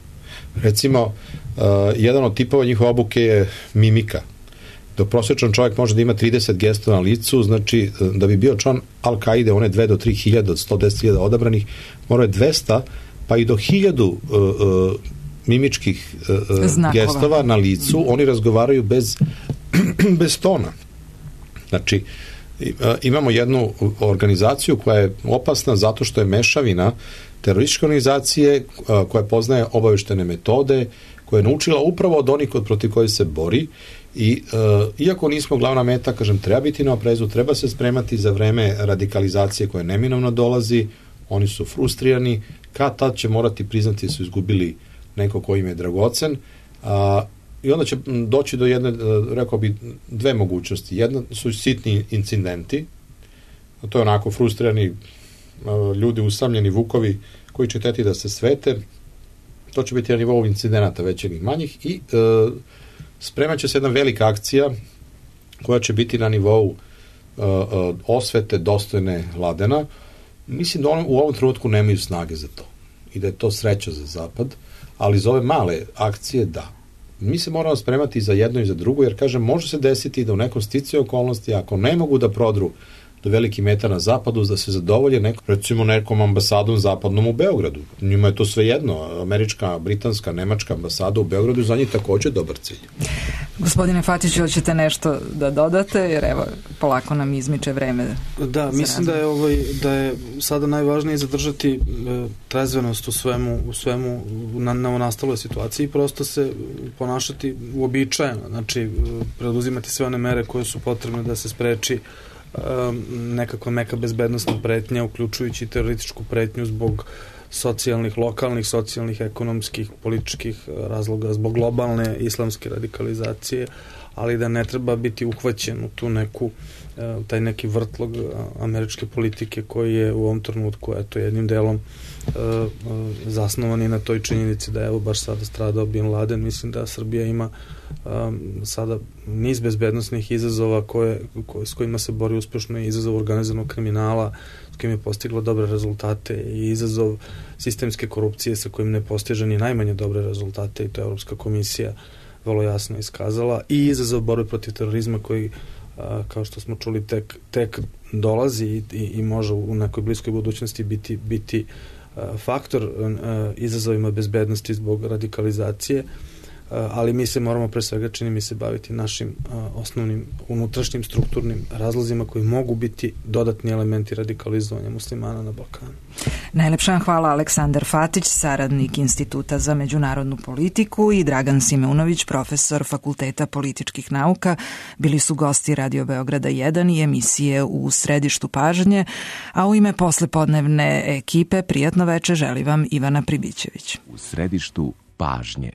Recimo, uh, jedan od tipova njihove obuke je mimika. Dok prosječan čovjek može da ima trideset gestova na licu, znači da bi bio član Al-Qaide, one dve do tri hiljade od sto deset hiljada odabranih, mora je dvesta pa i do hiljadu uh, uh, mimičkih uh, gestova na licu, oni razgovaraju bez bez tona. Znači, imamo jednu organizaciju koja je opasna zato što je mešavina terorističke organizacije koja poznaje obaveštene metode, koja je naučila upravo od onih protiv koji se bori i uh, iako nismo glavna meta, kažem, treba biti na oprezu, treba se spremati za vreme radikalizacije koja neminovno dolazi, oni su frustrirani, kad tad će morati priznati da su izgubili neko ko im je dragocen, a uh, i onda će doći do jedne, rekao bi, dve mogućnosti. Jedna su sitni incidenti, a to je onako frustrirani ljudi, usamljeni vukovi koji će teti da se svete. To će biti na nivou incidenata većih i manjih i e, spremat će se jedna velika akcija koja će biti na nivou e, osvete dostojne Ladena. Mislim da on, u ovom trenutku nemaju snage za to i da je to sreća za Zapad, ali za ove male akcije da. mi se moramo spremati za jedno i za drugo, jer kažem, može se desiti da u nekom sticaju okolnosti, ako ne mogu da prodru do veliki meta na zapadu, da se zadovolje neko, recimo nekom ambasadom zapadnom u Beogradu. Njima je to sve jedno. Američka, britanska, nemačka ambasada u Beogradu za njih takođe dobar cilj. Gospodine Fatiću, hoćete nešto da dodate, jer evo, polako nam izmiče vreme. Da, mislim da je, ovaj, da je sada najvažnije zadržati e, trezvenost u svemu, u svemu na, na nastaloj situaciji i prosto se ponašati uobičajeno, znači preduzimati sve one mere koje su potrebne da se spreči nekakva meka bezbednostna pretnja, uključujući terorističku pretnju zbog socijalnih, lokalnih, socijalnih, ekonomskih, političkih razloga, zbog globalne islamske radikalizacije, ali da ne treba biti uhvaćen u tu neku, taj neki vrtlog američke politike koji je u ovom trenutku, eto, jednim delom zasnovan i na toj činjenici da je evo baš sada stradao Bin Laden. Mislim da Srbija ima um, sada niz bezbednostnih izazova koje, koje, s kojima se bori uspešno, i izazov organizovanog kriminala s kojim je postigla dobre rezultate i izazov sistemske korupcije sa kojim ne postiže ni najmanje dobre rezultate, i to je Evropska komisija vrlo jasno iskazala, i izazov borbe protiv terorizma koji, a, kao što smo čuli, tek, tek dolazi i, i, i može u nekoj bliskoj budućnosti biti, biti a, faktor a, izazovima bezbednosti zbog radikalizacije, a, ali mi se moramo pre svega, čini mi se, baviti našim a, osnovnim unutrašnjim strukturnim razlozima koji mogu biti dodatni elementi radikalizovanja muslimana na Balkanu. Najlepša hvala Aleksandar Fatić, saradnik Instituta za međunarodnu politiku, i Dragan Simeunović, profesor Fakulteta političkih nauka. Bili su gosti Radio Beograda jedan i emisije U središtu pažnje, a u ime poslepodnevne ekipe prijatno veče želi vam Ivana Pribićević. U središtu pažnje.